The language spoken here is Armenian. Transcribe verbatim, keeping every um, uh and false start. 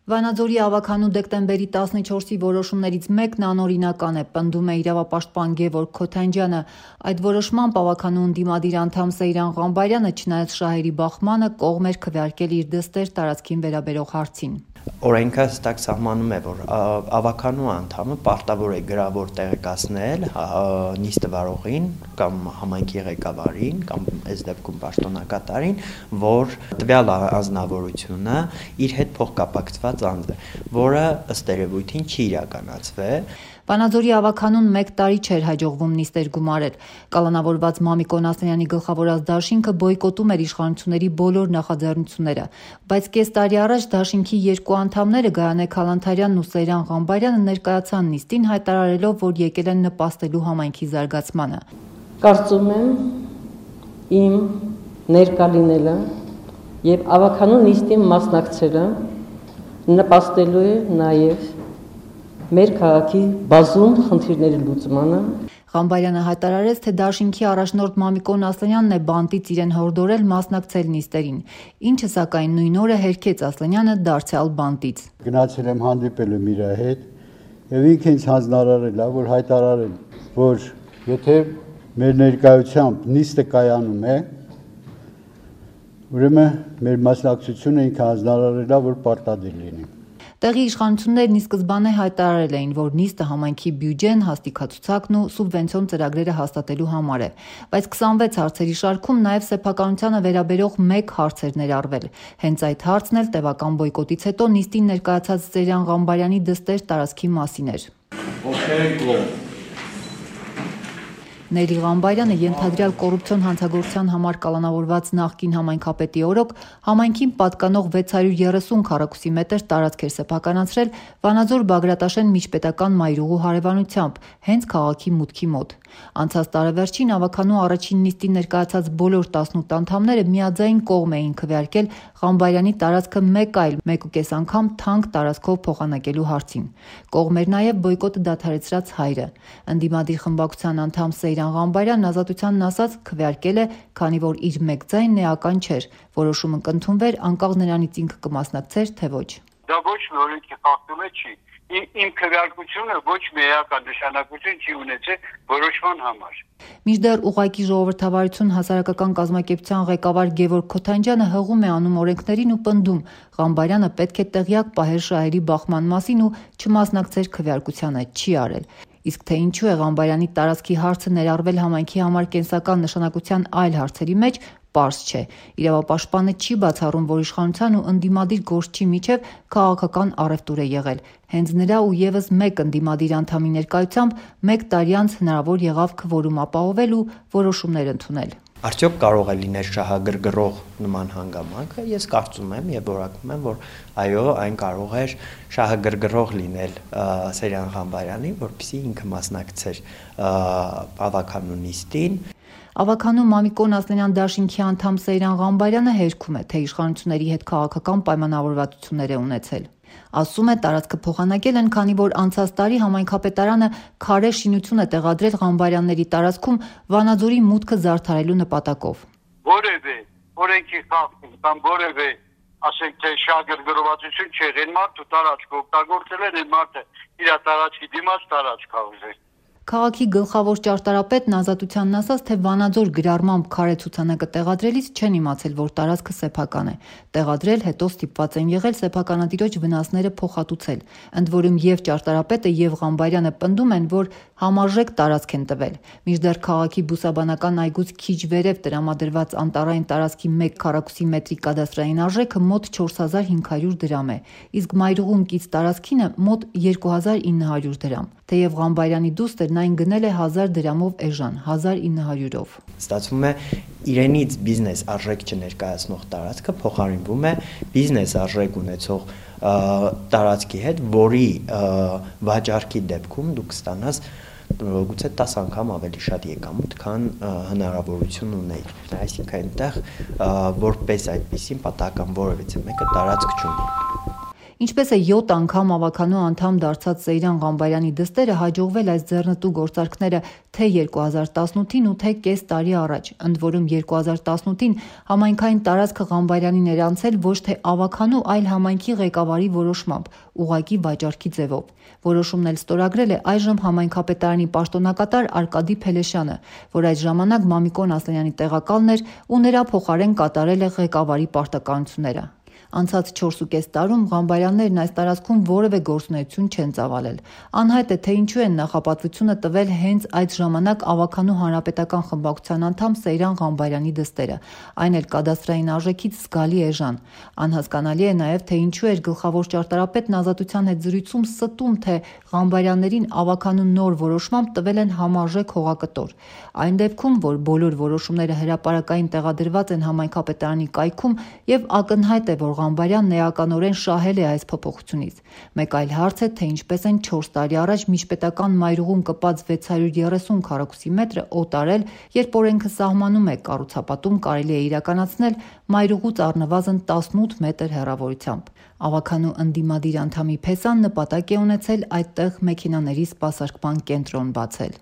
Վանաձորի ավագանու դեկտեմբերի տասնչորսի որոշումներից մեկն անօրինական է, պնդում է իրավապաշտպան Գևորգ Քոթանջյանը։ Այդ որոշմամբ ավագանու ընդդիմադիր անդամ Սեյրան Ղամբարյանը, չնայած շահերի բախմանը, կողմ էր քվեարկել իր դստեր տարածքին վերաբերող հարցին։ Օրենքը հստակ սահմանում է, որ ավագանու անդամը պարտավոր է գրավոր տեղեկացնել նիստը վարողին կամ համայնքի ղեկավարին կամ այս դեպքում պաշտոնակատարին, որ տվյալ անձնավորությունը իր հետ փոխկապակցված անձ է, որը ըստ երևույթին չի իրականացվել։ Վանաձորի ավագանուն մեկ տարի չէր հաջողվում նիստեր գումարել։ Կալանավորված Մամիկոն Ասլանյանի գլխավորած դաշինքը բոյկոտում էր իշխանությունների բոլոր նախաձեռնությունները, բայց կես տարի առաջ դաշինքի երկու անդամները Գայանե Քալանթարյանն ու Սեյրան Ղամբարյանը ներկայացան նիստին, հայտարարելով, որ եկել են նպաստելու համայնքի զարգացմանը։ Կարծում եմ, իմ ներկա լինելը եւ ավագանու նիստին մասնակցելը նպաստելու է նաեւ մեր քաղաքի բազում խնդիրների լուծմանը։ Ղամբարյանը հայտարարեց, թե դաշինքի առաջնորդ Մամիկոն Ասլանյանն է բանտից իրեն հորդորել մասնակցել նիստերին, ինչը սակայն նույն օրը հերքեց Ասլանյանը դարձյալ բանտից։ Գնացել եմ հանդիպել եմ իր հետ եւ ինքը ինձ հանձնարարել է, որ հայտարարել, որ եթե մեր ներկայությամբ նիստը կայանում է, ուրեմն մեր մասնակցությունը ինքը հանձնարարել է, որ պարտադիր լինի։ Տեղի իշխանություններն ի սկզբանե հայտարարել էին, որ նիստը համայնքի բյուջեն, հաստիքացուցակն ու սուբվենցիոն ծրագրերը հաստատելու համար է, բայց քսանվեց հարցերի շարքում նաև սեփականությանը վերաբերող մեկ հարց էր ներառվել։ Հենց այդ հարցն էլ տևական բոյկոտից հետո նիստին ներկայացած Սեյրան Ղամբարյանի դստեր տարածքի մասին էր։ Նելի Ղամբարյանը ենթադրյալ կոռուպցիոն հանցագործության համար կալանավորված նախկին համայնքապետի օրոք համայնքին պատկանող վեց հարյուր երեսուն քառակուսի մետր տարածք էր սեփականացրել Վանաձոր Բագրատաշեն միջպետական մայրուղու հարևանությամբ, հենց քաղաքի մուտքի մոտ։ Անցած տարեվերջին ավագանու առաջին նիստին ներկայացած բոլոր տասնութ անդամները միաձայն կողմ էին քվեարկել Ղամբարյանի տարածքը մեկ այլ մեկուկես անգամ թանկ տարածքով փոխանակելու հարցին։ Կողմ էր նաև բոյկոտը դադարեցրած հայրը։ Ընդդիմադիր խմբակցության անդամ Սեյրան Ղամբարյանն ազատությանն ասաց քվեարկել է, քանի որ իր մեկ ձայնն էական չէր, որոշումը կընդունվեր անկախ նրանից ինքը կմասնակցեր, թե ոչ։ Դա ոչ մի օրենքի խախտում է չի։ Իմ քվեարկությունը ոչ մի էական նշանակություն չի ունեցել որոշման համար։ Մինչդեռ ուղղակի ժողովրդավարություն հասարակական կազմակերպության ղեկավար Գևորգ Քոթանջյանը հղում է անում օրենքներին ու պնդում Ղամբարյանը պետք է տեղյակ պահեր շահերի բախման մասին ու չմասնակցեր քվեարկությանը, չի արել։ Իսկ թե ինչու է Ղամբարյանի տարածքի հարցը ներառվել համայնքի համար կենսական նշանակության այլ հարցերի մեջ, պարզ չէ։ Իրավապաշտպանը չի բացառում, որ իշխանության ու ընդդիմադիր գործչի միջև քաղաքական առևտուր է եղել։ Հենց նրա ու եւս մեկ ընդդիմադիր անդամի ներկայությամբ մեկ տարի անց հնարավոր եղավ քվորում ապահովել ու որոշումներ ընդունել։ Արդյոք կարող է լինել շահագրգռող նման հանգամանքը։ Ես կարծում եմ եւ որակում եմ, որ այո, այն կարող էր շահագրգռող լինել Սեյրան Ղամբարյանի, որպեսզի ինքը մասնակցեր ավագանու նիստին։ Ավագանու Մամիկոն Ասլանյան դաշինքի անդամ Սեյրան Ղամբարյանը հերքում է, թե իշխանությունների հետ քաղաքական պայմանավորվածություններ է ունեցել։ Ասում է, տարածքը փոխանակել են, քանի որ անցած տարի համայնքապետարանը քարե շինություն է տեղադրել Ղամբարյանների տարածքում Վանաձորի մուտքը զարդարելու նպատակով։ Որևէ օրենքի խախտում կամ որևէ, ասենք թե շահագրգռվածություն չէ, այն մարդը տարածք օգտագործել են, այն մարդը իր տարածքի դիմաց տարածք ա ուզել։ Քաղաքի գլխավոր ճարտարապետն ազատությանն ասաց, թե Վանաձոր գրառմամբ քարե ցուցանակը տեղադրելիս չեն իմացել, որ տարածքը սեփական է։ Տեղադրել, հետո ստիպված են եղել սեփականատիրոջ վնասները փոխհատուցել։ Ընդ որում եւ ճարտարապետը եւ Ղամբարյանը պնդում են, որ համարժեք տարածք են տվել։ Մինչդեռ քաղաքի բուսաբանական այգուց քիչ վերև տրամադրված անտառային տարածքի մեկ քառակուսի մետրի կադաստրային արժեքը մոտ չորս հազար հինգ հարյուր դրամ է, իսկ մայրուղուն կից տարածքինը մոտ երկու հազար ինը հարյուր դրամ։ Թեև Ղամբարյանի դուստերն այն գնել է հազար դրամով էժան, հազար ինը հարյուրով։ Ստացվում է իրենից բիզնես արժեք չներկայացնող տարածքը փոխարինվում է բիզնես արժեք ունեցող տարածքի հետ, որի վաճառքի դեպքում դուք կստանաս գուցե տաս անգամ ավելի շատ եկամուտ, քան հնարավորություն ունեիք։ Այսինքն այնտեղ որպես այդպեսին պատահական որևիցե մեկը տարածք չունի։ Ինչպես է յոթ անգամ ավականու անդամ դարձած Սեյրան Ղամբարյանի դստերը հաջողվել այս ձեռնտու գործարքները թե երկու հազար տասնութին ու թե կես տարի առաջ, ընդ որում երկու հազար տասնութին համայնքային տարածքը Ղամբարյանին էր անցել ոչ թե ավականու, այլ համայնքի ղեկավարի որոշմամբ, ուղղակի վաճառքի ձևով։ Որոշումն էլ ստորագրել է այժմ համայնքապետարանի պաշտոնակատար Արկադի Փելեշյանը, որ այդ ժամանակ Մամիկոն Ասլանյանի տեղակալն էր ու նրա փոխարեն կատարել է ղեկավարի պարտականությունները։ Անցած չորս ու կես տարում Ղամբարյաններն այս տարածքում որևէ գործունեություն չեն ծավալել։ Անհայտ է, թե ինչու են նախապատվությունը տվել հենց այդ ժամանակ ավականու հանրապետական խմբակցության անդամ Սեյրան Ղամբարյանի դստերը, այն էլ կադաստրային արժեքից զգալի էժան։ Անհասկանալի է նաև, թե ինչու էր գլխավոր ճարտարապետն Ազատության հետ զրույցում ստում, թե Ղամբարյաններին ավականու նոր որոշմամբ տվել են համարժեք հողակտոր։ Այն դեպքում, որ բոլոր որոշումները հրապարակային տեղադրված են համայնքապետարանի կայքում եւ ակնհայտ է, որ Ղամբարյանն էականորեն շահել է այս փոփոխությունից։ Մեկ այլ հարց է, թե ինչպես են չորս տարի առաջ միջպետական մայրուղում կպած վեց հարյուր երեսուն քառակուսի մետրը օտարել, երբ օրենքը սահմանում է կառուցապատում կարելի է իրականացնել մայրուղուց առնվազն տասնութ մետր հեռավորությամբ։ Ավականու ընդդիմադիր անդամի Փեսան նպատակ է ունեցել այդտեղ մեքենաների սպասարկման կենտրոն բացել։